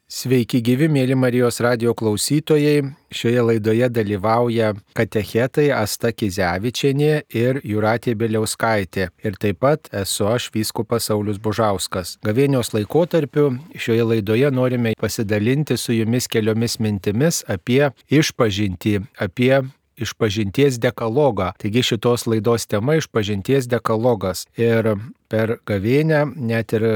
Sveiki gyvi, mėly Marijos radijo klausytojai. Šioje laidoje dalyvauja katechetai Asta Kizevičienė ir Jūratė Bieliauskaitė. Ir taip pat esu aš, vyskupas Saulius Bužauskas. Gavėnios laikotarpiu šioje laidoje norime pasidalinti su jumis keliomis mintimis apie išpažintį, apie išpažinties dekalogą. Taigi šitos laidos tema išpažinties dekalogas. Ir per gavėnią net ir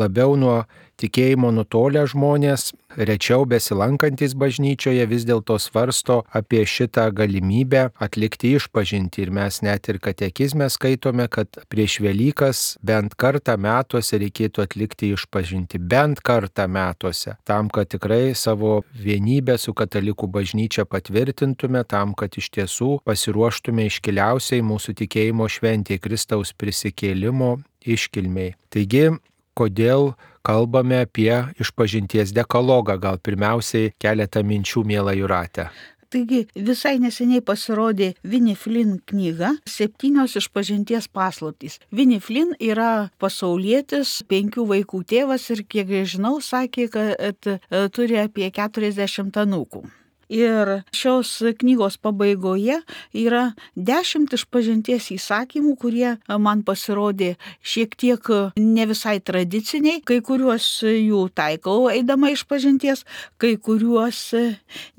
labiau nuo tikėjimo nutolę žmonės, rečiau besilankantis bažnyčioje, vis dėlto svarsto apie šitą galimybę atlikti išpažintį. Ir mes net ir katekizme skaitome, kad prieš Velykas bent kartą metuose reikėtų atlikti išpažintį. Bent kartą metuose. Tam, kad tikrai savo vienybę su katalikų bažnyčia patvirtintume, tam, kad iš tiesų pasiruoštume iškiliausiai mūsų tikėjimo šventėje Kristaus prisikėlimo iškilmiai. Taigi, kodėl kalbame apie išpažinties dekalogą? Gal pirmiausiai keletą minčių, miela Jūrate. Taigi visai neseniai pasirodė Winnie Flynn knyga 7 išpažinties paslaptys. Winnie Flynn yra pasaulietis, 5 vaikų tėvas ir, kiek žinau, sakė, kad turi apie 40 anūkų. Ir šios knygos pabaigoje yra 10 išpažinties įsakymų, kurie man pasirodė šiek tiek ne visai tradiciniai, kai kuriuos jų taikau eidama išpažinties, kai kuriuos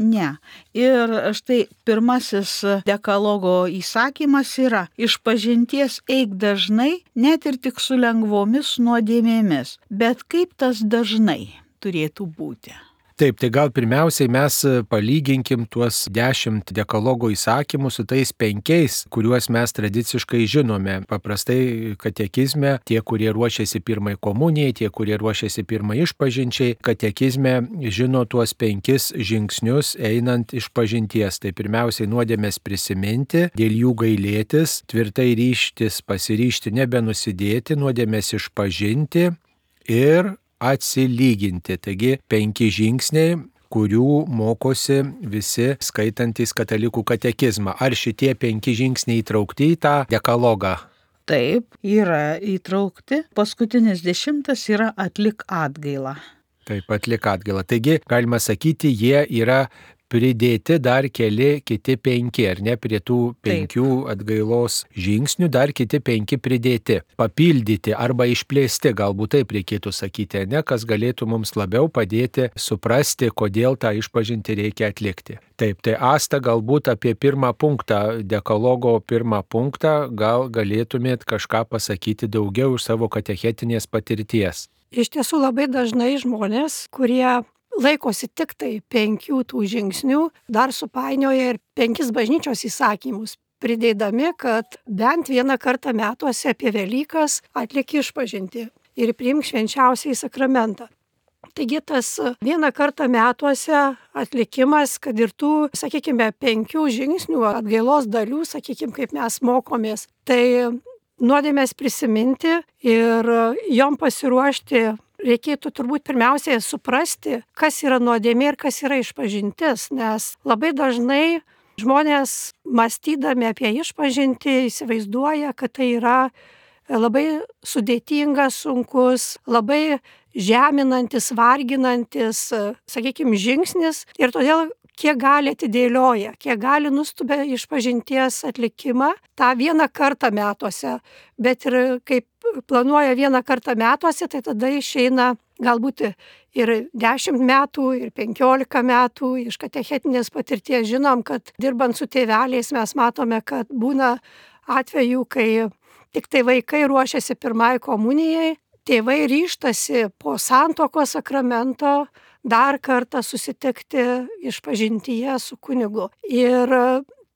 ne. Ir štai pirmasis dekalogo įsakymas yra: išpažinties eik dažnai, net ir tik su lengvomis nuodėmėmis. Bet kaip tas dažnai turėtų būti? Taip, tai gal pirmiausiai mes palyginkim tuos 10 dekalogo įsakymų su tais 5, kuriuos mes tradiciškai žinome. Paprastai katekizme tie, kurie ruošiasi pirmai komunijai, tie, kurie ruošiasi pirmai išpažinčiai, katekizme žino tuos 5 žingsnius einant išpažinties. Tai pirmiausiai nuodėmės prisiminti, dėl jų gailėtis, tvirtai ryžtis, pasiryžti nebenusidėti, nuodėmės išpažinti ir atsilyginti. Taigi 5 žingsniai, kurių mokosi visi skaitantys katalikų katekizmą. Ar šitie 5 žingsniai įtraukti į tą dekalogą? Taip, yra įtraukti. Paskutinis 10 yra atlik atgailą. Taip, atlik atgailą. Taigi, galima sakyti, jie yra pridėti dar kiti 5, ar ne, prie tų 5 atgailos žingsnių dar kiti 5 pridėti, papildyti arba išplėsti, galbūt taip reikėtų sakyti, ne, kas galėtų mums labiau padėti suprasti, kodėl tą išpažintį reikia atlikti. Taip, tai Asta, galbūt apie pirmą punktą, dekalogo pirmą punktą, gal galėtumėt kažką pasakyti daugiau iš savo katechetinės patirties. Iš tiesų labai dažnai žmonės, kurie laikosi tik tai 5 tų žingsnių, dar supainioja ir 5 bažnyčios įsakymus, pridėdami, kad bent vieną kartą metuose apie Velykas atlieki išpažintį ir priimk švenčiausiąjį sakramentą. Taigi tas vieną kartą metuose atlikimas, kad ir tų, sakykime, 5 žingsnių atgailos dalių, sakykime, kaip mes mokomės, tai nuodėmės prisiminti ir jom pasiruošti. Reikėtų turbūt pirmiausiai suprasti, kas yra nuodėmė ir kas yra išpažintis, nes labai dažnai žmonės, mąstydami apie išpažintį, įsivaizduoja, kad tai yra labai sudėtingas, sunkus, labai žeminantis, varginantis, sakykime, žingsnis ir todėl kiek gali atidėlioja, kiek gali nustubia išpažinties atlikimą tą vieną kartą metuose, bet ir kaip planuoja vieną kartą metuose, tai tada išeina galbūt ir 10 metų, ir 15 metų. Iš katechetinės patirties žinom, kad dirbant su tėveliais mes matome, kad būna atvejų, kai tik tai vaikai ruošiasi pirmai komunijai, tėvai ryžtasi po santuokos sakramento dar kartą susitikti išpažintyje su kunigu. Ir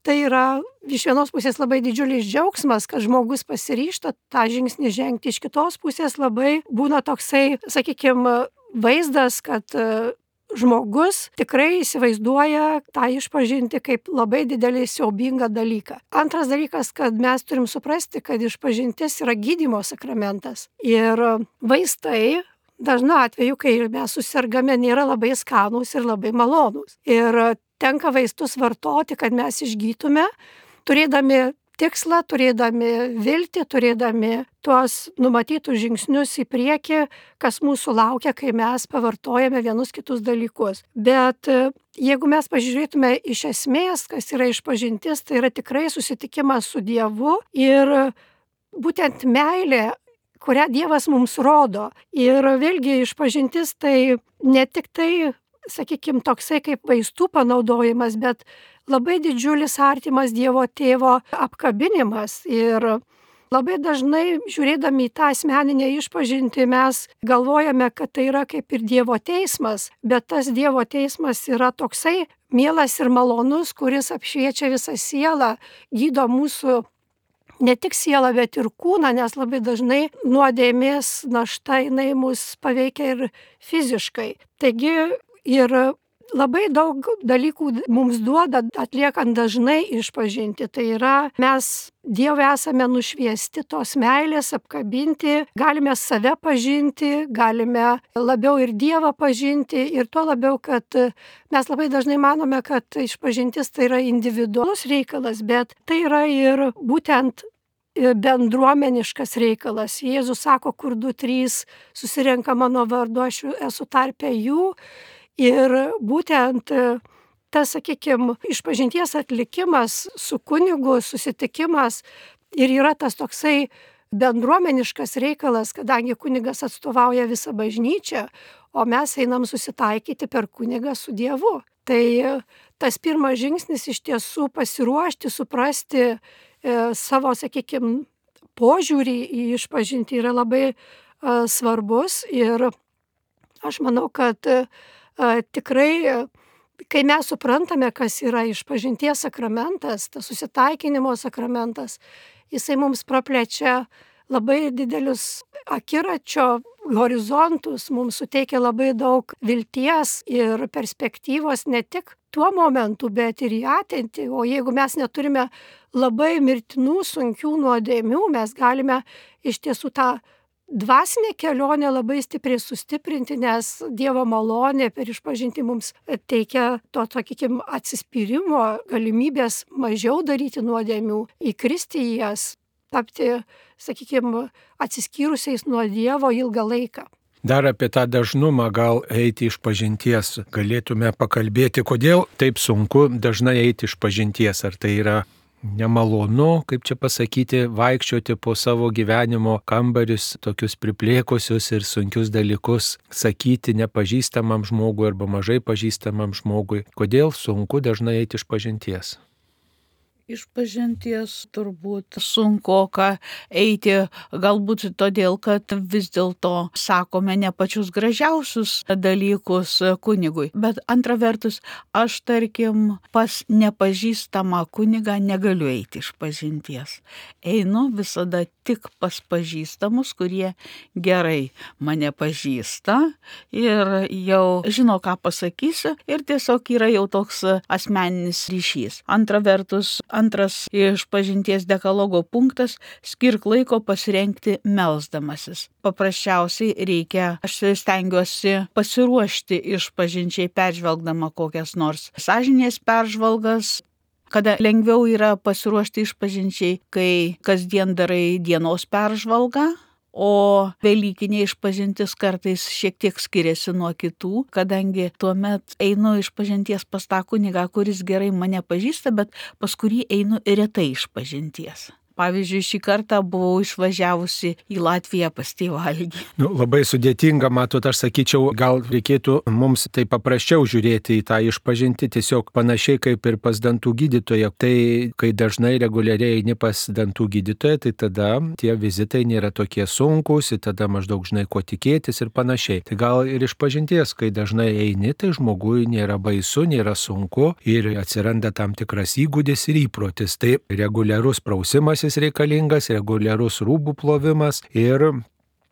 tai yra iš vienos pusės labai didžiulis džiaugsmas, kad žmogus pasiryžta tą žingsnį žengti. Iš kitos pusės labai būna toksai, sakykime, vaizdas, kad žmogus tikrai įsivaizduoja tą išpažinti kaip labai didelį siaubingą dalyką. Antras dalykas, kad mes turim suprasti, kad išpažintis yra gydymo sakramentas. Ir vaistai dažnu atveju, kai mes susirgame, nėra labai skanūs ir labai malonūs. Ir tenka vaistus vartoti, kad mes išgytume, turėdami tikslą, turėdami viltį, turėdami tuos numatytus žingsnius į priekį, kas mūsų laukia, kai mes pavartojame vienus kitus dalykus. Bet jeigu mes pažiūrėtume iš esmės, kas yra išpažintis, tai yra tikrai susitikimas su Dievu ir būtent meilė, kurią Dievas mums rodo. Ir vėlgi išpažintis tai ne tik tai, sakykime, toksai kaip vaistų panaudojimas, bet labai didžiulis artimas Dievo tėvo apkabinimas. Ir labai dažnai žiūrėdami į tą asmeninę išpažintį mes galvojame, kad tai yra kaip ir Dievo teismas, bet tas Dievo teismas yra toksai mielas ir malonus, kuris apšviečia visą sielą, gydo mūsų ne tik sielą, bet ir kūną, nes labai dažnai nuodėmės našta jinai mus paveikia ir fiziškai. Taigi ir labai daug dalykų mums duoda atliekant dažnai išpažinti. Tai yra, mes Dieve esame nušviesti tos meilės, apkabinti, galime save pažinti, galime labiau ir Dievą pažinti ir tuo labiau, kad mes labai dažnai manome, kad išpažintis tai yra individualus reikalas, bet tai yra ir būtent bendruomeniškas reikalas. Jėzus sako, kur 2-3 susirenka mano vardu, aš esu tarpe jų. Ir būtent tas, sakykime, išpažinties atlikimas su kunigu, susitikimas ir yra tas toksai bendruomeniškas reikalas, kadangi kunigas atstovauja visą bažnyčią, o mes einam susitaikyti per kunigą su Dievu. Tai tas pirmas žingsnis iš tiesų pasiruošti, suprasti savo, sakykime, požiūrį į išpažintį yra labai svarbus ir aš manau, kad tikrai, kai mes suprantame, kas yra išpažinties sakramentas, tas susitaikinimo sakramentas, jisai mums praplečia labai didelius akiračio horizontus, mums suteikia labai daug vilties ir perspektyvos ne tik tuo momentu, bet ir į ateitį. O jeigu mes neturime labai mirtinų, sunkių nuodėmių, mes galime iš tiesų tą dvasinę kelionę labai stipriai sustiprinti, nes Dievo malonė per išpažintį mums teikia to, sakykime, atsispyrimo, galimybės mažiau daryti nuodėmių, įkristi į jas, tapti, sakykime, atsiskyrusiais nuo Dievo ilgą laiką. Dar apie tą dažnumą gal eiti išpažinties galėtume pakalbėti, kodėl taip sunku dažnai eiti išpažinties, ar tai yra nemalonu, kaip čia pasakyti, vaikščioti po savo gyvenimo kambarius, tokius priplėkusius ir sunkius dalykus, sakyti nepažįstamam žmogui arba mažai pažįstamam žmogui. Kodėl sunku dažnai eiti išpažinties? Išpažinties turbūt sunkoka eiti, galbūt todėl, kad vis dėlto sakome ne pačius gražiausius dalykus kunigui. Bet antra vertus, aš tarkim pas nepažįstamą kunigą negaliu eiti išpažinties. Einu visada tik pas pažįstamus, kurie gerai mane pažįsta ir jau žino, ką pasakysiu ir tiesiog yra jau toks asmeninis ryšys. Antra vertus, antras išpažinties dekalogo punktas - skirk laiko pasirengti melsdamasis. Paprasčiausiai reikia, aš stengiuosi pasiruošti išpažinčiai peržvelgdama kokias nors sąžinės peržvalgas, kada lengviau yra pasiruošti išpažinčiai, kai kasdien darai dienos peržvalgą. O velykinė išpažintis kartais šiek tiek skiriasi nuo kitų, kadangi tuomet einu išpažinties pas tą kunigą, kuris gerai mane pažįsta, bet pas kurį einu retai išpažinties. Pavyzdžiui, šį kartą buvau išvažiavusi į Latviją pas tėvą Algį. Labai sudėtinga, matot, aš sakyčiau, gal reikėtų mums tai paprasčiau žiūrėti į tą išpažinti, tiesiog panašiai kaip ir pas dantų gydytoją. Tai kai dažnai reguliariai eini pas dantų gydytoją, tai tada tie vizitai nėra tokie sunkus, tada maždaug žinai, ko tikėtis ir panašiai. Tai gal ir išpažinties, kai dažnai eini, tai žmogui nėra baisu, nėra sunku ir atsiranda tam tikras įgūdis ir įprotis. Tai reguliarus prausimas reikalingas, reguliarus rūbų plovimas ir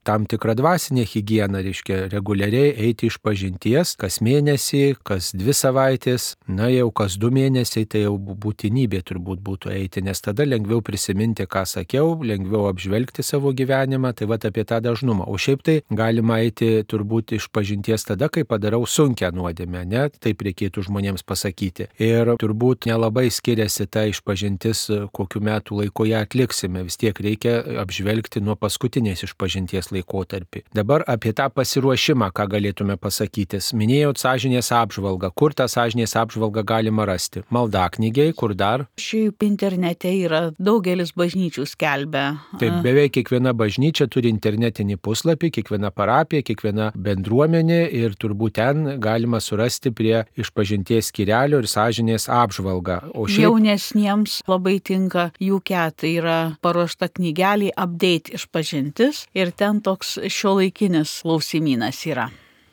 tam tikrą dvasinę higieną, reiškia reguliariai eiti iš pažinties, kas mėnesį, kas 2 savaitės, na jau kas 2 mėnesiai, tai jau būtinybė turbūt būtų eiti, nes tada lengviau prisiminti, ką sakiau, lengviau apžvelgti savo gyvenimą, tai vat apie tą dažnumą. O šiaip tai galima eiti turbūt iš pažinties tada, kai padarau sunkią nuodėmę, ne? Taip reikėtų žmonėms pasakyti. Ir turbūt nelabai skiriasi ta išpažintis, kokiu metų laiku ją atliksime. Vis tiek reikia apžvelgti nuo paskutinės išpažinties laikotarpį. Dabar apie tą pasiruošimą, ką galėtume pasakyti. Minėjau sąžinės apžvalgą. Kur tą sąžinės apžvalgą galima rasti? Maldaknygiai, kur dar? Šiaip internete yra daugelis bažnyčių skelbia. Taip, beveik kiekviena bažnyčia turi internetinį puslapį, kiekviena parapija, kiekviena bendruomenė ir turbūt ten galima surasti prie išpažinties skyrelio ir sąžinės apžvalgą. O Jaunesniems labai tinka UK, tai yra paruošta knygelė Update išpažintis ir ten toks šiuolaikinis klausimynas yra.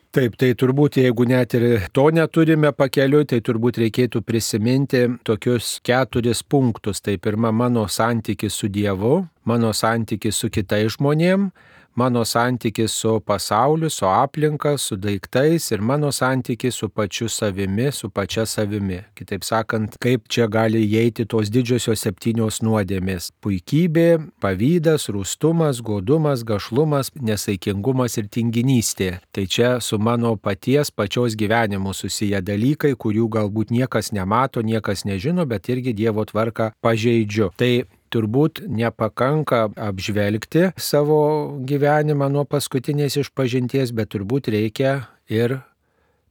Taip, tai turbūt jeigu net ir to neturime pakeliui, tai turbūt reikėtų prisiminti tokius 4 punktus. Tai pirma, mano santykis su Dievu, mano santykis su kitais žmonėm, mano santykis su pasauliu, su aplinka, su daiktais ir mano santykis su pačiu savimi, su pačia savimi. Kitaip sakant, kaip čia gali įeiti tos didžiosios 7 nuodėmės. Puikybė, pavydas, rūstumas, godumas, gašlumas, nesaikingumas ir tinginystė. Tai čia su mano pačios gyvenimu susiję dalykai, kurių galbūt niekas nemato, niekas nežino, bet irgi Dievo tvarką pažeidžiu. Tai turbūt nepakanka apžvelgti savo gyvenimą nuo paskutinės išpažinties, bet turbūt reikia ir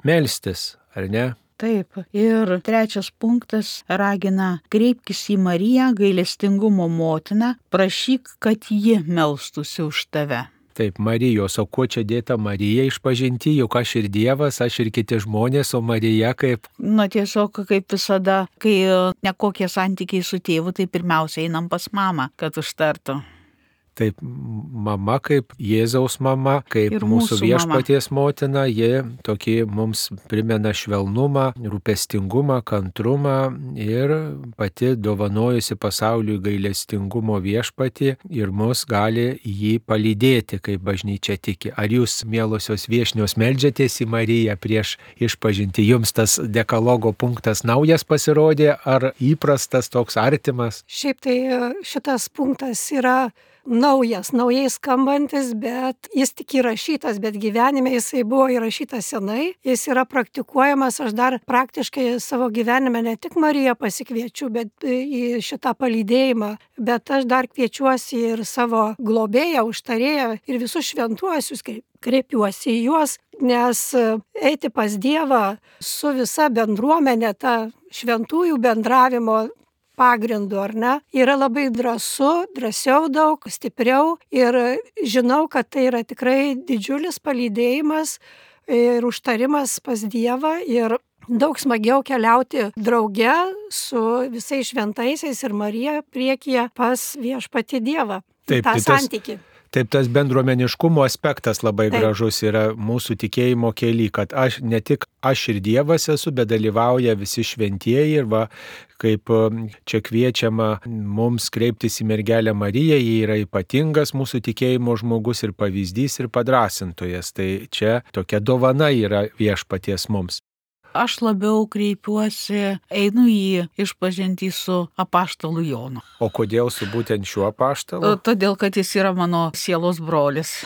melstis, ar ne? Taip. Ir 3 punktas ragina: kreipkis į Mariją, gailestingumo motiną, prašyk, kad ji melstųsi už tave. Taip, Marijos, o kuo čia dėta Marija išpažinti, juk aš ir Dievas, aš ir kiti žmonės, o Marija kaip? Tiesiog kaip visada, kai nekokie santykiai su tėvu, tai pirmiausia einam pas mamą, kad užtartų. Taip, mama kaip Jėzaus mama, kaip Ir mūsų mūsų viešpaties motina, ji tokį mums primena švelnumą, rūpestingumą, kantrumą ir pati dovanojusi pasauliui gailestingumo viešpatį ir mus gali jį palydėti, kaip bažnyčia tiki. Ar jūs, mielosios viešnios, meldžiatės į Mariją prieš išpažinti? Jums tas dekalogo punktas naujas pasirodė ar įprastas, toks artimas? Šiaip tai šitas punktas yra naujai skambantis, bet jis tik įrašytas, bet gyvenime jisai buvo įrašytas senai, jis yra praktikuojamas, aš dar praktiškai savo gyvenime ne tik Mariją pasikviečiu, bet į šitą palydėjimą, bet aš dar kviečiuosi ir savo globėją, užtarėją ir visus šventuosius, kreipiuosi į juos, nes eiti pas Dievą su visa bendruomenė, ta šventųjų bendravimo pagrindu, ar ne, yra labai drąsiau daug, stipriau ir žinau, kad tai yra tikrai didžiulis palydėjimas ir užtarimas pas Dievą ir daug smagiau keliauti drauge su visais šventaisiais ir Marija priekyje pas viešpatį Dievą. Taip, tą santykį. Taip, tas bendruomeniškumo aspektas labai gražus yra mūsų tikėjimo kely, kad ne tik aš ir Dievas esu, bet dalyvauja visi šventieji ir va, kaip čia kviečiama mums kreiptis į mergelę Mariją, ji yra ypatingas mūsų tikėjimo žmogus ir pavyzdys ir padrasintojas. Tai čia tokia dovana yra viešpaties mums. Aš labiau kreipiuosi, einu į išpažintį su apaštalu Jonu. O kodėl su būtent šiuo apaštalu? Todėl, kad jis yra mano sielos brolis.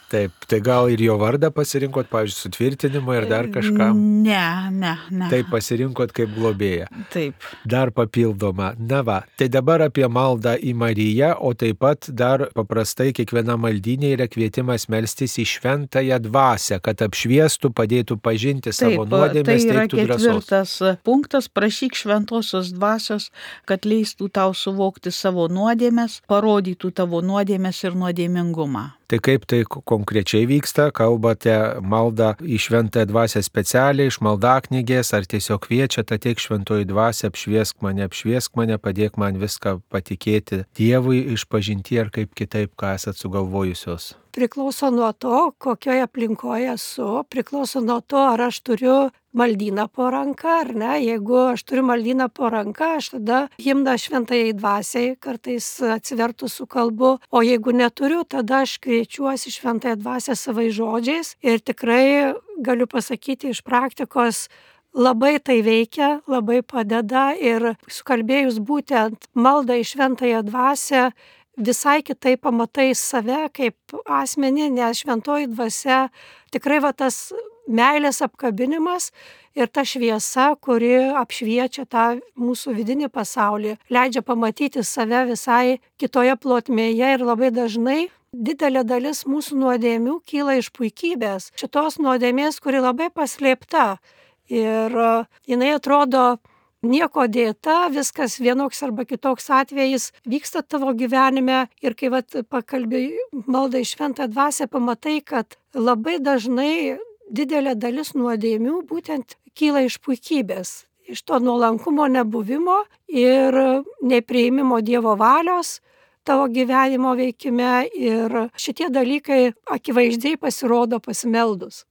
Taip, tai gal ir jo vardą pasirinkot, pavyzdžiui, sutvirtinimą ir dar kažkam? Ne. Taip, pasirinkot kaip globėją. Taip. Dar papildoma. Na va, tai dabar apie maldą į Mariją, o taip pat dar paprastai kiekviena maldynė yra kvietimas melstis į šventąją dvasią, kad apšviestų, padėtų pažinti savo nuodėmes, teiktų drąsos. Tai yra 4 punktas, prašyk šventosios dvasios, kad leistų tau suvokti savo nuodėmes, parodytų tavo nuodėmes ir nuodėmingumą. Tai kaip tai konkrečiai vyksta? Kalbate maldą į šventąją dvasią specialiai iš maldaknygės, ar tiesiog kviečiate, ateik šventoji dvasia, apšviesk mane, padėk man viską patikėti Dievui išpažinti, ar kaip kitaip, ką esat sugalvojusios? priklauso nuo to, kokioje aplinkoje esu, priklauso nuo to, ar aš turiu maldyną po ranka, ar ne. Jeigu aš turiu maldyną po ranka, aš tada himną šventajai dvasiai kartais atsivertus su kalbu, o jeigu neturiu, tada aš kviečiuosi šventąją dvasią savais žodžiais ir tikrai galiu pasakyti iš praktikos, labai tai veikia, labai padeda ir sukalbėjus būtent maldą į šventąją dvasią, visai kitaip pamatai save kaip asmenį, nes šventoji dvasia tikrai tas meilės apkabinimas ir ta šviesa, kuri apšviečia tą mūsų vidinį pasaulį, leidžia pamatyti save visai kitoje plotmėje ir labai dažnai didelė dalis mūsų nuodėmių kyla iš puikybės. Šitos nuodėmės, kuri labai paslėpta ir jinai atrodo nieko dėta, viskas vienoks arba kitoks atvejis vyksta tavo gyvenime ir kai pakalbi maldą į šventą dvasią, pamatai, kad labai dažnai didelė dalis nuodėmių būtent kyla iš puikybės, iš to nuolankumo nebuvimo ir nepriėmimo Dievo valios tavo gyvenimo veikime ir šitie dalykai akivaizdžiai pasirodo pasimeldus.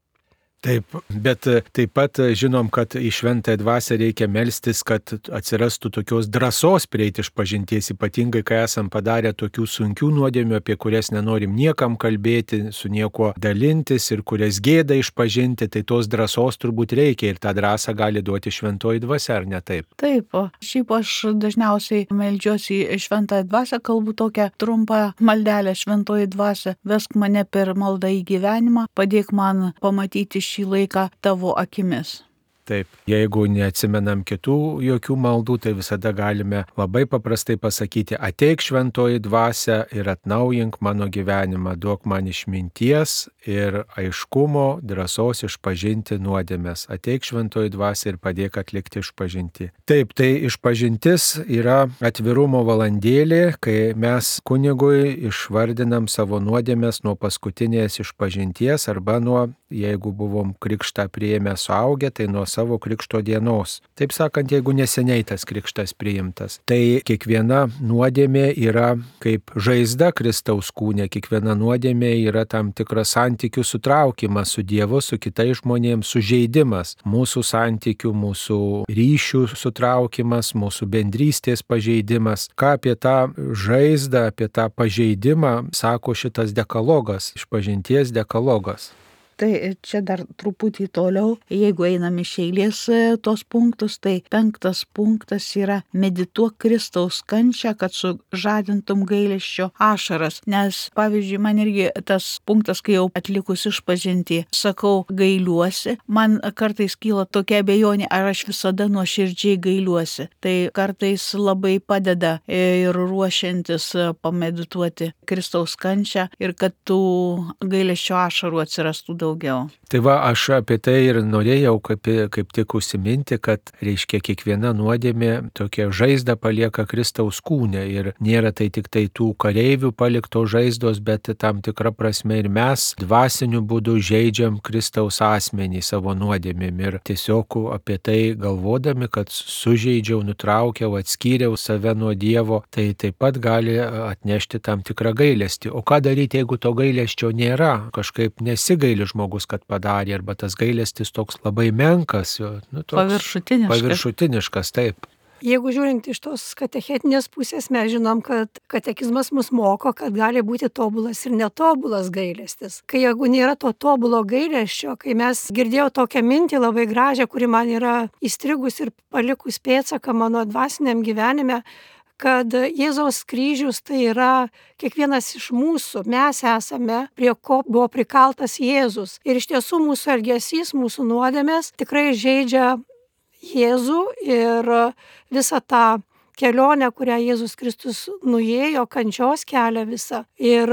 Taip, bet taip pat žinom, kad į šventąją dvasią reikia melstis, kad atsirastų tokios drąsos prieiti išpažinties, ypatingai kai esam padarę tokių sunkių nuodėmių, apie kurias nenorim niekam kalbėti, su niekuo dalintis ir kurias gėda išpažinti, tai tos drąsos turbūt reikia ir tą drąsą gali duoti šventoji dvasia, ar ne taip? Taip, šiaip aš dažniausiai meldžiuosi į šventąją dvasią, kalbu tokią trumpą maldelę šventoji dvasia, vesk mane per maldą į gyvenimą, padėk man pamatyti šį laiką tavo akimis. Taip, jeigu neatsimenam kitų jokių maldų, tai visada galime labai paprastai pasakyti, ateik šventoji dvasia ir atnaujink mano gyvenimą, duok man išminties ir aiškumo, drąsos išpažinti nuodėmes. Ateik šventoji dvasia ir padėk atlikti išpažintį. Taip, tai išpažintis yra atvirumo valandėlė, kai mes kunigui išvardinam savo nuodėmes nuo paskutinės išpažinties arba nuo, jeigu buvom krikštą priėmę suaugę, tai nuo savo krikšto dienos. Taip sakant, jeigu neseniai tas krikštas priimtas. Tai kiekviena nuodėmė yra kaip žaizda Kristaus kūne, kiekviena nuodėmė yra tam tikras santykių sutraukimas su Dievu, su kitais žmonėms, sužeidimas. Mūsų santykių, mūsų ryšių sutraukimas, mūsų bendrystės pažeidimas. Ką apie tą žaizdą, apie tą pažeidimą sako šitas dekalogas, išpažinties dekalogas? Tai čia dar truputį toliau, jeigu einam iš eilės tos punktus, tai 5 punktas yra medituok Kristaus kančią, kad sužadintum gailesčio ašaras. Nes, pavyzdžiui, man irgi tas punktas, kai jau atlikus išpažintį, sakau gailiuosi, man kartais kyla tokia abejonė, ar aš visada nuoširdžiai gailiuosi. Tai kartais labai padeda ir ruošiantis pamedituoti Kristaus kančią ir kad tų gailesčio ašarų atsirastų daugiau. Tai va, aš apie tai ir norėjau kaip tik užsiminti, kad reiškia kiekviena nuodėmė tokia žaizda palieka Kristaus kūne ir nėra tai tik tai tų kareivių palikto žaizdos, bet tam tikra prasme ir mes dvasiniu būdu žeidžiam Kristaus asmenį savo nuodėmėm ir tiesiog apie tai galvodami, kad sužeidžiau, nutraukiau, atskyriau save nuo Dievo, tai taip pat gali atnešti tam tikrą gailestį. O ką daryti, jeigu to gailesčio nėra? Kažkaip nesigaili žmogus, kad padarė, arba tas gailestis toks labai menkas, toks paviršutiniškas, taip. Jeigu žiūrint iš tos katechetinės pusės, mes žinom, kad katekizmas mus moko, kad gali būti tobulas ir netobulas gailestis. Kai jeigu nėra to tobulo gailesčio, kai mes girdėjau tokią mintį labai gražią, kuri man yra įstrigus ir palikus pėdsaką mano dvasiniam gyvenime, kad Jėzaus kryžius tai yra kiekvienas iš mūsų, mes esame, prie ko buvo prikaltas Jėzus. Ir iš tiesų mūsų elgesys, mūsų nuodėmės tikrai žeidžia Jėzų ir visą tą kelionę, kurią Jėzus Kristus nuėjo, kančios kelią visą. Ir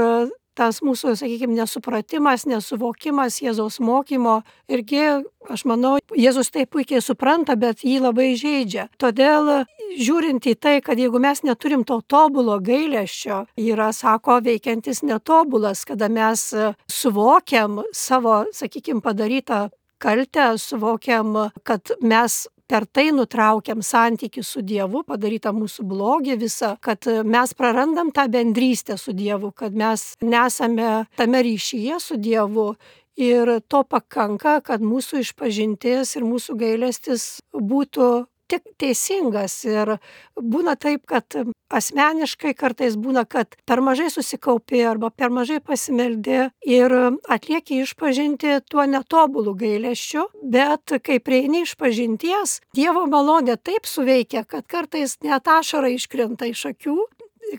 tas mūsų, sakykime, nesupratimas, nesuvokimas Jėzaus mokymo irgi, aš manau, Jėzus tai puikiai supranta, bet jį labai žeidžia. Todėl, žiūrint į tai, kad jeigu mes neturim to tobulo gailesčio, yra, sako, veikiantis netobulas, kada mes suvokiam savo, sakykime, padarytą kaltę, suvokiam, kad mes per tai nutraukiam santykį su Dievu, padarytą mūsų blogį visą, kad mes prarandam tą bendrystę su Dievu, kad mes nesame tame ryšyje su Dievu. Ir to pakanka, kad mūsų išpažintis ir mūsų gailestis būtų tik teisingas. Ir būna taip, kad asmeniškai kartais būna, kad per mažai susikaupi arba per mažai pasimeldi ir atlieki išpažinti tuo netobulų gailesčiu, bet kai prieini išpažinties, Dievo malonė taip suveikia, kad kartais net ašara iškrenta iš akių,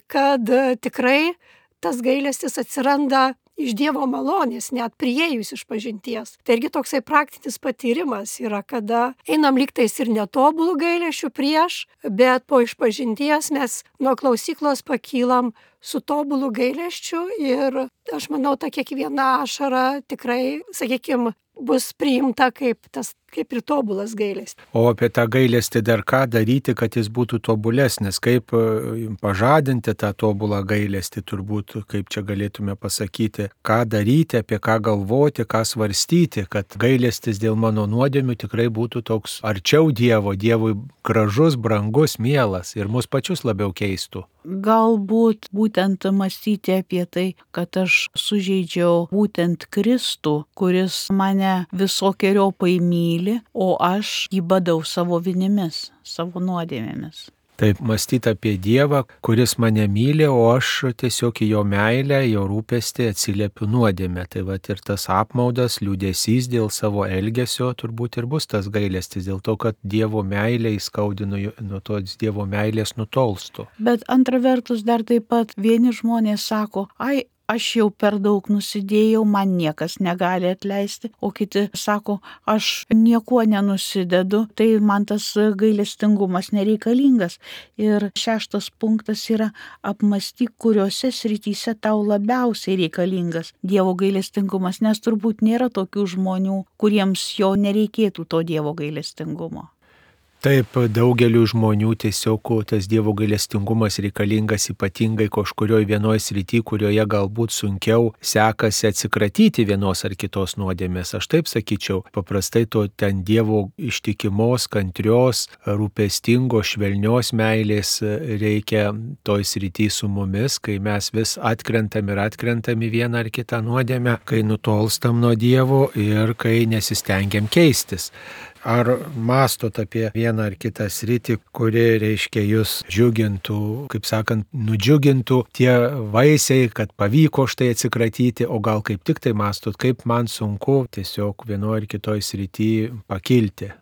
kad tikrai tas gailestis atsiranda iš Dievo malonės, net priėjus išpažinties. Tai irgi toksai praktinis patyrimas yra, kada einam lygtais ir netobulų gailesčių prieš, bet po išpažinties mes nuo klausyklos pakylam su tobulų gailesčiu ir aš manau, ta kiekviena ašara tikrai, sakykime, bus priimta kaip ir tobulas gailestis. O apie tą gailestį dar ką daryti, kad jis būtų tobulesnis, kaip pažadinti tą tobulą gailestį, turbūt kaip čia galėtume pasakyti, ką daryti, apie ką galvoti, ką svarstyti, kad gailestis dėl mano nuodėmių tikrai būtų toks arčiau Dievo, Dievui gražus, brangus, mielas ir mus pačius labiau keistų. Galbūt būtent mąstyti apie tai, kad aš sužeidžiau būtent Kristų, kuris mane visokiojopai myli, o aš jį badau savo vinimis, savo nuodėmėmis. Taip, mąstyti apie Dievą, kuris mane myli, o aš tiesiog į jo meilę, jo rūpestį atsiliepiu nuodėmę. Tai va ir tas apmaudas, liūdesys dėl savo elgesio turbūt ir bus tas gailestis, dėl to, kad Dievo meilė įskaudinu, nuo tos Dievo meilės nutolstu. Bet antra vertus dar taip pat vieni žmonės sako, aš jau per daug nusidėjau, man niekas negali atleisti, o kiti sako, aš niekuo nenusidedu, tai man tas gailestingumas nereikalingas. Ir 6 punktas yra apmąstyk, kuriuose srityse tau labiausiai reikalingas Dievo gailestingumas, nes turbūt nėra tokių žmonių, kuriems jo nereikėtų to Dievo gailestingumo. Taip, daugeliu žmonių tiesiog tas Dievo gailestingumas reikalingas ypatingai kažkurioje vienoje srityje, kurioje galbūt sunkiau sekasi atsikratyti vienos ar kitos nuodėmės. Aš taip sakyčiau, paprastai to ten Dievo ištikimos, kantrios, rūpestingos, švelnios meilės reikia toj srityje su mumis, kai mes vis atkrentam į vieną ar kitą nuodėmę, kai nutolstam nuo Dievo ir kai nesistengiam keistis. Ar mąstot apie vieną ar kitą sritį, kuri, reiškia, jūs džiugintų, kaip sakant, nudžiugintų tie vaisiai, kad pavyko štai atsikratyti, o gal kaip tik tai mąstot, kaip man sunku tiesiog vienoje ar kitoje srityje pakilti?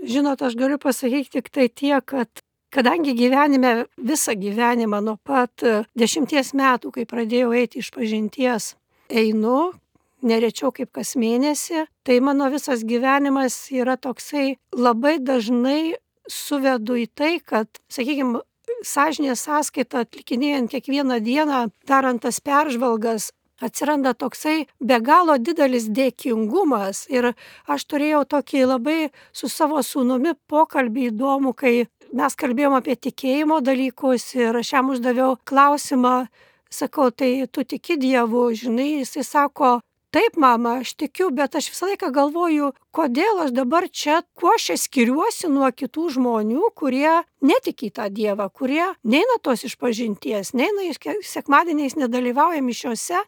Žinot, aš galiu pasakyti tik tai tiek, kad kadangi gyvenime visą gyvenimą nuo pat 10 metų, kai pradėjau eiti išpažinties, einu, nerečiau kaip kas mėnesį, tai mano visas gyvenimas yra toksai labai dažnai suvedu į tai, kad, sakykime, sąžinės sąskaitą atlikinėjant kiekvieną dieną, darant tas peržvalgas, atsiranda toksai be galo didelis dėkingumas. Ir aš turėjau tokį labai su savo sūnumi pokalbį įdomų, kai mes kalbėjom apie tikėjimo dalykus ir aš jam uždaviau klausimą, sakau, tai tu tiki Dievu, žinai, jisai sako, taip, mama, aš tikiu, bet aš visą laiką galvoju, kodėl aš dabar čia, kuo aš skiriuosi nuo kitų žmonių, kurie netiki tą Dievą, kurie neina tos išpažinties, neina sekmadieniais, nedalyvauja mišiose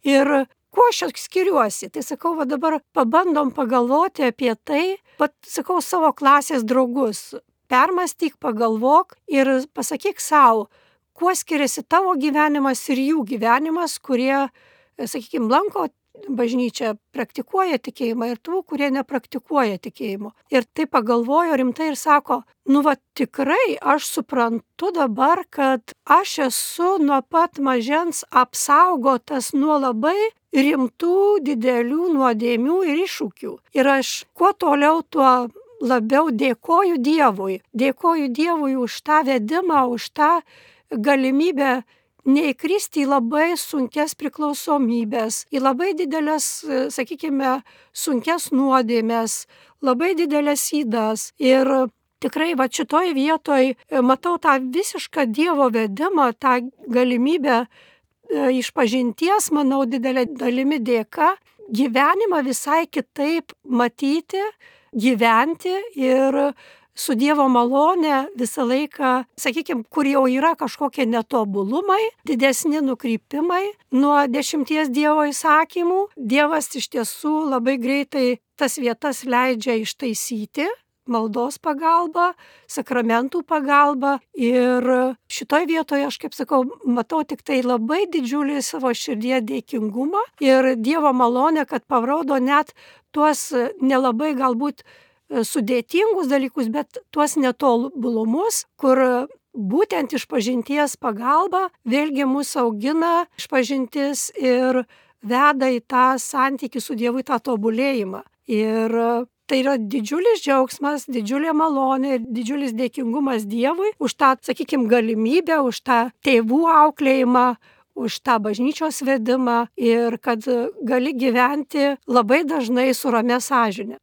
ir kuo aš skiriuosi. Tai sakau, va dabar pabandom pagalvoti apie tai, pat sakau savo klasės draugus, permąstyk, pagalvok ir pasakyk savo, kuo skiriasi tavo gyvenimas ir jų gyvenimas, kurie, sakykime, lanko bažnyčia, praktikuoja tikėjimą ir tų, kurie nepraktikuoja tikėjimo. Ir tai pagalvojo rimtai ir sako, tikrai aš suprantu dabar, kad aš esu nuo pat mažens apsaugotas nuo labai rimtų, didelių nuodėmių ir iššūkių. Ir aš kuo toliau, tuo labiau dėkoju Dievui. Dėkoju Dievui už tą vedimą, už tą galimybę neįkristi į labai sunkes priklausomybės, į labai didelės, sakykime, sunkes nuodėmės, labai didelės ydas. Ir tikrai va šitoj vietoj matau tą visišką Dievo vedimą, tą galimybę išpažinties, manau, didelė dalimi dėka, gyvenimą visai kitaip matyti, gyventi ir su Dievo malone visą laiką, sakykime, kur jau yra kažkokie netobulumai, didesni nukrypimai nuo 10 Dievo įsakymų, Dievas iš tiesų labai greitai tas vietas leidžia ištaisyti maldos pagalba, sakramentų pagalba ir šitoj vietoje aš, kaip sakau, matau tik tai labai didžiulį savo širdyje dėkingumą ir Dievo malonę, kad parodo net tuos nelabai galbūt sudėtingus dalykus, bet tuos netobulumus, kur būtent išpažinties pagalba vėlgi mus augina išpažintis ir veda į tą santykį su Dievu, į tą tobulėjimą. Ir tai yra didžiulis džiaugsmas, didžiulė malonė ir didžiulis dėkingumas Dievui už tą, sakykime, galimybę, už tą tėvų auklėjimą, už tą bažnyčios vedimą ir kad gali gyventi labai dažnai su ramia sąžine.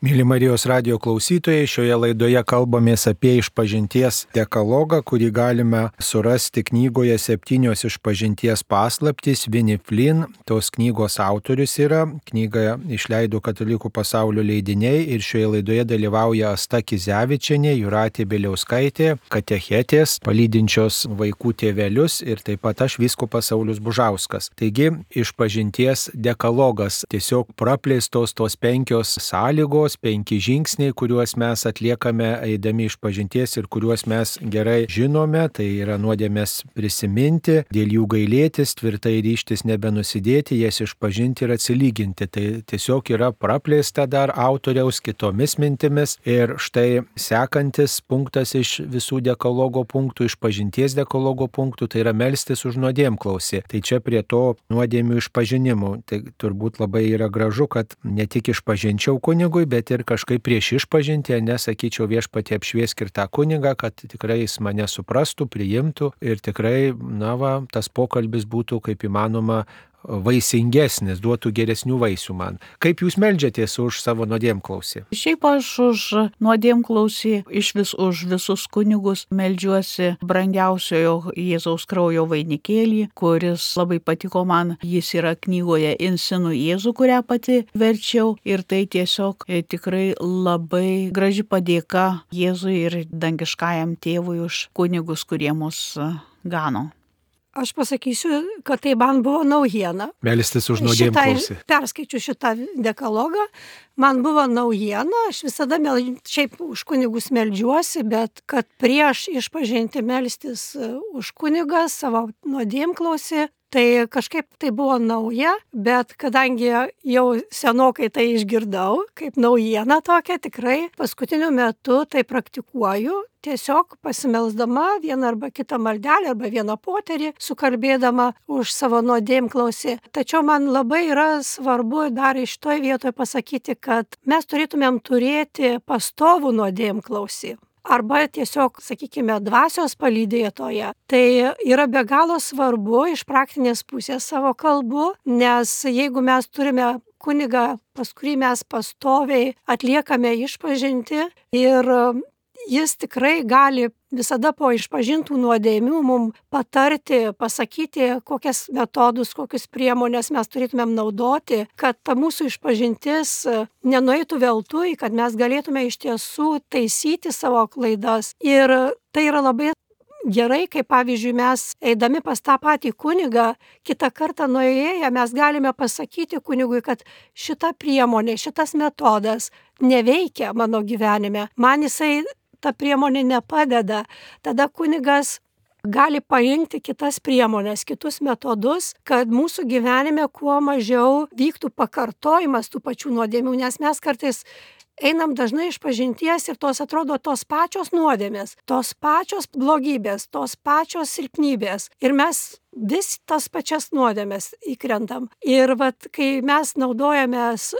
Mėly Marijos radijo klausytojai, šioje laidoje kalbamės apie išpažinties dekalogą, kurį galime surasti knygoje 7 išpažinties paslaptys. Vinnie Flynn, tos knygos autorius yra, knygą išleido Katalikų pasaulio leidiniai ir šioje laidoje dalyvauja Asta Kizevičienė, Jūratė Bieliauskaitė, katechetės, palydinčios vaikų tėvelius ir taip pat aš, vyskupas Saulius Bužauskas. Taigi, išpažinties dekalogas, tiesiog praplėstos tos 5 sąlygos, 5 žingsniai, kuriuos mes atliekame eidami išpažinties ir kuriuos mes gerai žinome, tai yra nuodėmės prisiminti, dėl jų gailėtis, tvirtai ryžtis nebenusidėti, jas išpažinti ir atsilyginti. Tai tiesiog yra praplėsta dar autoriaus kitomis mintimis ir štai sekantis punktas iš visų dekalogo punktų, išpažinties dekalogo punktų, tai yra melstis už nuodėmklausį. Tai čia prie to nuodėmių išpažinimų. Tai turbūt labai yra gražu, kad ne tik išpažinčiau kunigui, bet ir kažkaip prieš išpažinti, nesakyčiau viešpatie apšviesk ir tą kunigą, kad tikrai jis mane suprastų, priimtų ir tikrai, tas pokalbis būtų kaip įmanoma vaisingesnis, duotų geresnių vaisių man. Kaip jūs meldžiatės už savo nuodėmklausį? Šiaip aš už nuodėmklausį, už visus kunigus meldžiuosi brangiausiojo Jėzaus kraujo vainikėlį, kuris labai patiko man. Jis yra knygoje Insinu Jėzų, kurią pati verčiau ir tai tiesiog tikrai labai graži padėka Jėzui ir dangiškajam tėvui už kunigus, kurie mus gano. Aš pasakysiu, kad tai man buvo naujiena. Melstis už nuodėmklausį. Perskaičiu šitą dekalogą. Man buvo naujiena, aš visada šiaip už kunigus meldžiuosi, bet kad prieš išpažinti melstis už kunigą savo nuodėmklausį, tai kažkaip tai buvo nauja, bet kadangi jau senokai tai išgirdau, kaip naujieną tokia, tikrai paskutiniu metu tai praktikuoju, tiesiog pasimelsdama vieną arba kitą maldelę arba vieną poterį, sukalbėdama už savo nuodėmklausį. Tačiau man labai yra svarbu dar iš toj vietoje pasakyti, kad mes turėtumėm turėti pastovų nuodėmklausį. Arba tiesiog, sakykime, dvasios palydėtoje. Tai yra be galo svarbu iš praktinės pusės savo kalbu, nes jeigu mes turime kunigą, pas kurį mes pastoviai atliekame išpažinti ir jis tikrai gali visada po išpažintų nuodėmių mums patarti, pasakyti, kokias metodus, kokius priemonės mes turėtumėm naudoti, kad ta mūsų išpažintis nenueitų veltui, kad mes galėtume iš tiesų taisyti savo klaidas. Ir tai yra labai gerai, kai pavyzdžiui mes eidami pas tą patį kunigą, kitą kartą nuėję mes galime pasakyti kunigui, kad šita priemonė, šitas metodas neveikia mano gyvenime. Man jisai ta priemonė nepadeda. Tada kunigas gali parinkti kitas priemonės, kitus metodus, kad mūsų gyvenime kuo mažiau vyktų pakartojimas tų pačių nuodėmių, nes mes kartais einam dažnai išpažinties ir tos atrodo tos pačios nuodėmės, tos pačios blogybės, tos pačios silpnybės ir mes vis tas pačias nuodėmės įkrentam. Ir kai mes naudojamės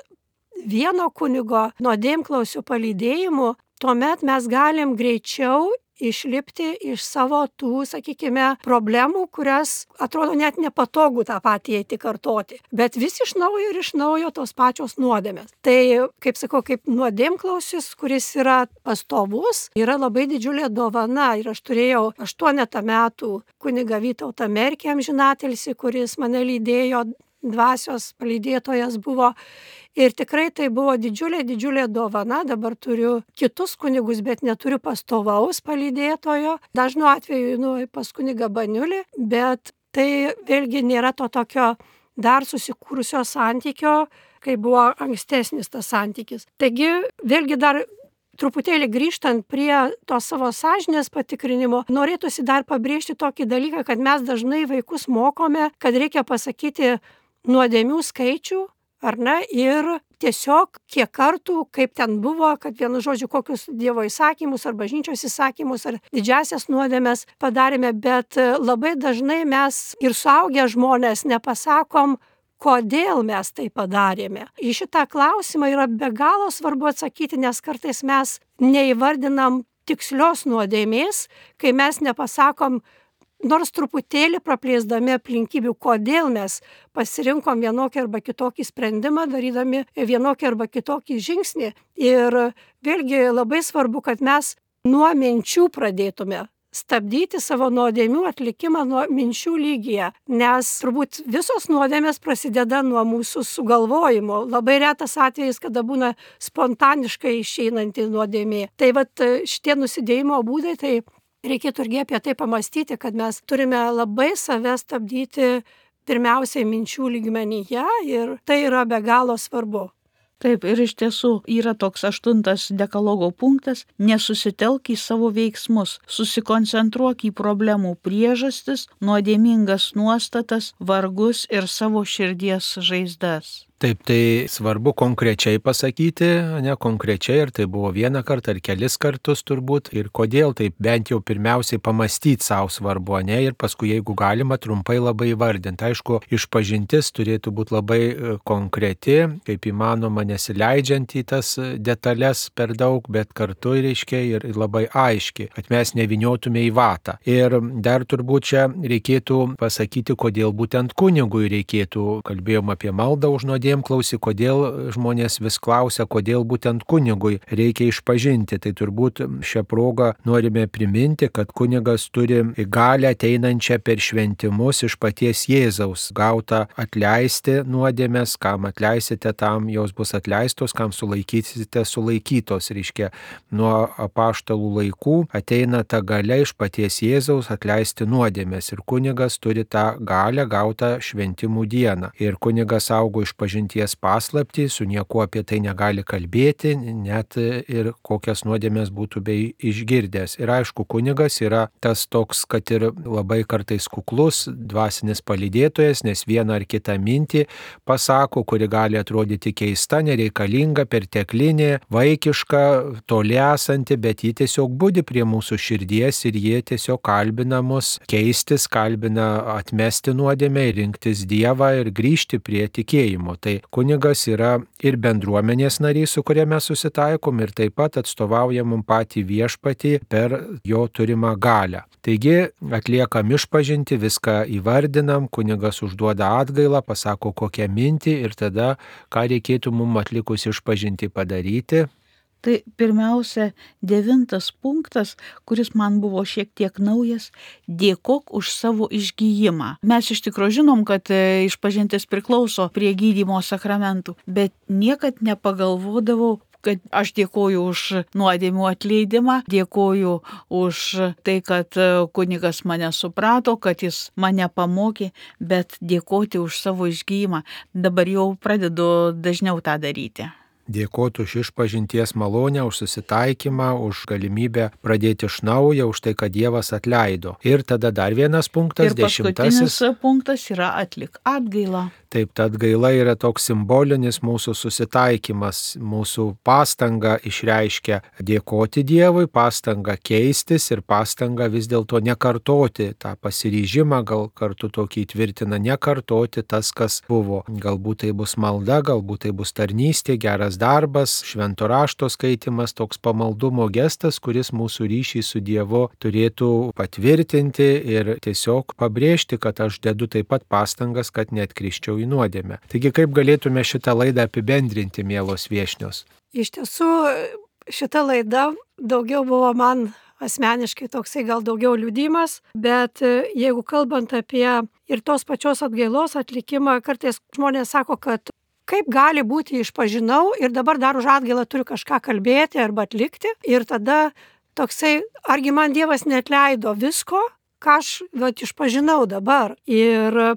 vieno kunigo nuodėmklausio palydėjimu, tuomet mes galim greičiau išlipti iš savo tų, sakykime, problemų, kurias atrodo net nepatogu tą patį eiti kartoti. Bet vis iš naujo tos pačios nuodėmės. Tai, kaip sakau, kaip nuodėmklausis, kuris yra pastovus, yra labai didžiulė dovana. Ir aš turėjau 8 metų kunigą Vytautą Merkį amžinatilsį, kuris mane lydėjo dvasios palydėtojas buvo. Ir tikrai tai buvo didžiulė dovana. Dabar turiu kitus kunigus, bet neturiu pastovaus palydėtojo. Dažnu atveju pas kunigą Baniulį, bet tai vėlgi nėra to tokio dar susikūrusio santykio, kai buvo ankstesnis tas santykis. Taigi vėlgi dar truputėlį grįžtant prie to savo sąžinės patikrinimo, norėtųsi dar pabrėžti tokį dalyką, kad mes dažnai vaikus mokome, kad reikia pasakyti nuodėmių skaičių, ar ne, ir tiesiog kiek kartų, kaip ten buvo, kad vienu žodžiu kokius Dievo įsakymus ar bažnyčios įsakymus ar didžiasias nuodėmes padarėme, bet labai dažnai mes ir suaugę žmonės nepasakom, kodėl mes tai padarėme. Į šitą klausimą yra be galo svarbu atsakyti, nes kartais mes neįvardinam tikslios nuodėmės, kai mes nepasakom, nors truputėlį praplėsdami aplinkybių, kodėl mes pasirinkom vienokį arba kitokį sprendimą, darydami vienokį arba kitokį žingsnį. Ir vėlgi labai svarbu, kad mes nuo minčių pradėtume stabdyti savo nuodėmių atlikimą nuo minčių lygyje, nes turbūt visos nuodėmės prasideda nuo mūsų sugalvojimo. Labai retas atvejis, kada būna spontaniškai išeinanti nuodėmė. Tai vat šitie nusidėjimo būdai, tai reikėtų irgi apie tai pamastyti, kad mes turime labai save stabdyti pirmiausiai minčių lygmenyje ir tai yra be galo svarbu. Taip, ir iš tiesų yra toks 8 dekalogo punktas – nesusitelk į savo veiksmus, susikoncentruok į problemų priežastis, nuodėmingas nuostatas, vargus ir savo širdies žaizdas. Taip, tai svarbu konkrečiai pasakyti, ne konkrečiai, ar tai buvo vieną kartą ar kelis kartus turbūt, ir kodėl, tai bent jau pirmiausiai pamastyti savo svarbu, ne, ir paskui, jeigu galima, trumpai labai įvardinti. Aišku, išpažintis turėtų būti labai konkreti, kaip įmanoma, nesileidžiant į tas detalės per daug, bet kartu, reiškia, ir labai aiški, kad mes neviniotume į vatą. Ir dar turbūt čia reikėtų pasakyti, kodėl būtent kunigui reikėtų, kalbėjom apie maldą už nuodėmę, klausi, kodėl žmonės vis klausia, kodėl būtent kunigui reikia išpažinti. Tai turbūt šią progą norime priminti, kad kunigas turi galią ateinančią per šventimus iš paties Jėzaus, gautą atleisti nuodėmes, kam atleisite, tam jos bus atleistos, kam sulaikysite, sulaikytos. Reiškia, nuo apaštalų laikų ateina ta galia iš paties Jėzaus atleisti nuodėmes ir kunigas turi tą galią gautą šventimų dieną. Ir kunigas augo išpažinties paslaptį, su niekuo apie tai negali kalbėti, net ir kokias nuodėmės būtų bei išgirdęs. Ir aišku, kunigas yra tas toks, kad ir labai kartais kuklus, dvasinis palydėtojas, nes vieną ar kitą mintį pasako, kuri gali atrodyti keista, nereikalinga, perteklinė, vaikiška, toli esanti, bet ji tiesiog budi prie mūsų širdies ir jie tiesiog kalbina mus keistis, kalbina atmesti nuodėmę, rinktis Dievą ir grįžti prie tikėjimo. Tai kunigas yra ir bendruomenės narys, su kuria mes susitaikom, ir taip pat atstovauja mums patį viešpatį per jo turimą galią. Taigi atliekam išpažinti, viską įvardinam, kunigas užduoda atgailą, pasako kokią mintį ir tada, ką reikėtų mums atlikus išpažinti padaryti. Tai pirmiausia, 9 punktas, kuris man buvo šiek tiek naujas – dėkok už savo išgijimą. Mes iš tikrųjų žinom, kad išpažintis priklauso prie gydymo sakramentų, bet niekad nepagalvodavau, kad aš dėkoju už nuodėmių atleidimą, dėkoju už tai, kad kunigas mane suprato, kad jis mane pamokė, bet dėkoti už savo išgijimą. Dabar jau pradedu dažniau tą daryti. Dėkoti už išpažinties malonę, už susitaikymą, už galimybę pradėti iš naujo, už tai, kad Dievas atleido. Ir tada dar vienas punktas, 10. Ir paskutinis punktas yra atlik atgailą. Taip, ta atgaila yra toks simbolinis mūsų susitaikymas, mūsų pastanga išreiškia dėkoti Dievui, pastanga keistis ir pastanga vis dėlto nekartoti tą pasiryžimą, gal kartu tokį įtvirtina nekartoti tas, kas buvo. Galbūt tai bus malda, galbūt tai bus tarnystė, geras darbas, švento rašto skaitimas, toks pamaldumo gestas, kuris mūsų ryšį su Dievu turėtų patvirtinti ir tiesiog pabrėžti, kad aš dedu taip pat pastangas, kad neatkrisčiau į nuodėmę. Taigi, kaip galėtume šitą laidą apibendrinti, mielos viešnios? Iš tiesų, šita laida daugiau buvo man asmeniškai toksai gal daugiau liudijimas, bet jeigu kalbant apie ir tos pačios atgailos atlikimą, kartais žmonės sako, kad kaip gali būti išpažinau ir dabar dar už atgailą turiu kažką kalbėti arba atlikti ir tada toksai, argi man Dievas neatleido visko, ką aš išpažinau dabar. Ir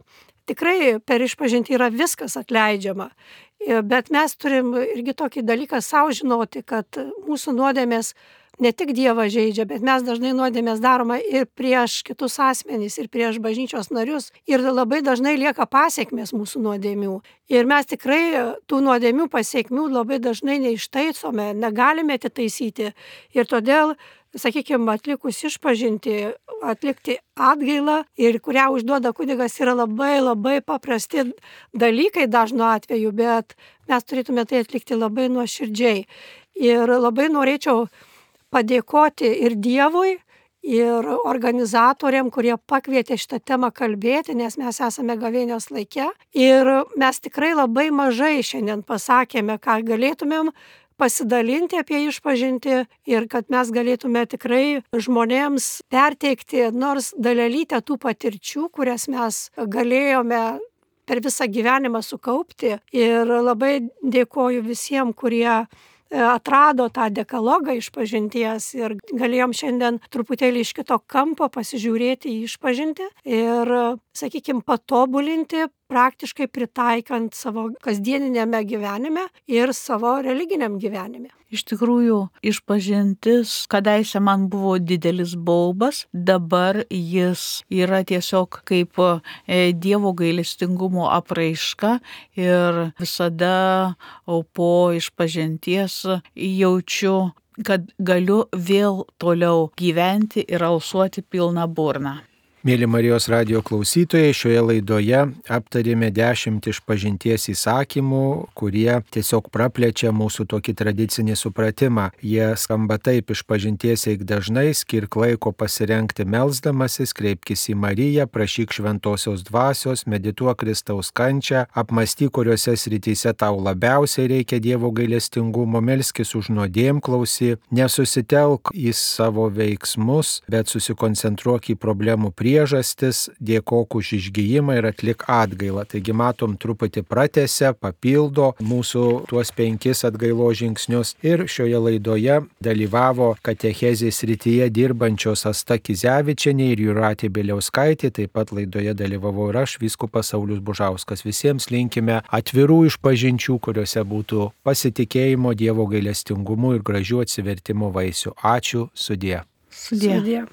tikrai per išpažintį yra viskas atleidžiama. Bet mes turim irgi tokį dalyką savo žinoti, kad mūsų nuodėmės ne tik Dievą žeidžia, bet mes dažnai nuodėmės daroma ir prieš kitus asmenys, ir prieš bažnyčios narius. Ir labai dažnai lieka pasiekmės mūsų nuodėmių. Ir mes tikrai tų nuodėmių pasiekmių labai dažnai neištaisome, negalime atitaisyti. Ir todėl, sakykime, atlikus išpažintį, atlikti atgailą ir kurią užduoda kunigas yra labai paprasti dalykai dažnu atveju, bet mes turėtume tai atlikti labai nuoširdžiai. Ir labai norėčiau padėkoti ir Dievui, ir organizatoriam, kurie pakvietė šitą temą kalbėti, nes mes esame gavėnios laike. Ir mes tikrai labai mažai šiandien pasakėme, ką galėtumėm pasidalinti apie išpažintį ir kad mes galėtume tikrai žmonėms perteikti nors dalelytę tų patirčių, kurias mes galėjome per visą gyvenimą sukaupti. Ir labai dėkoju visiems, kurie atrado tą dekalogą išpažinties ir galėjom šiandien truputėlį iš kito kampo pasižiūrėti į išpažintį ir, sakykime, patobulinti, praktiškai pritaikant savo kasdieninėme gyvenime ir savo religiniam gyvenime. Iš tikrųjų, išpažintis kadaise man buvo didelis baubas, dabar jis yra tiesiog kaip Dievo gailestingumo apraiška ir visada po išpažinties jaučiu, kad galiu vėl toliau gyventi ir alsuoti pilną burną. Mėly Marijos radijo klausytojai, šioje laidoje aptarėme 10 išpažinties įsakymų, kurie tiesiog praplečia mūsų tokį tradicinį supratimą. Jie skamba taip: išpažinties eik dažnai, skirk laiko pasirengti melsdamasis, kreipkis į Mariją, prašyk šventosios dvasios, medituok Kristaus kančią, apmąstyk, kuriuose srityse tau labiausiai reikia Dievo gailestingumo, melskis už nuodėmklausį, nesusitelk į savo veiksmus, bet susikoncentruok į problemų priežastis, dėkok už išgijimą ir atlik atgailą. Taigi matom, truputį pratęsia, papildo mūsų tuos 5 atgailos žingsnius. Ir šioje laidoje dalyvavo katechezės srityje dirbančios Asta Kizevičienė ir Jūratė Bieliauskaitė. Taip pat laidoje dalyvavau ir aš, vyskupas Saulius Bužauskas. Visiems linkime atvirų išpažinčių, kuriuose būtų pasitikėjimo Dievo gailestingumu ir gražių atsivertimo vaisių. Ačiū, sudie. Sudie.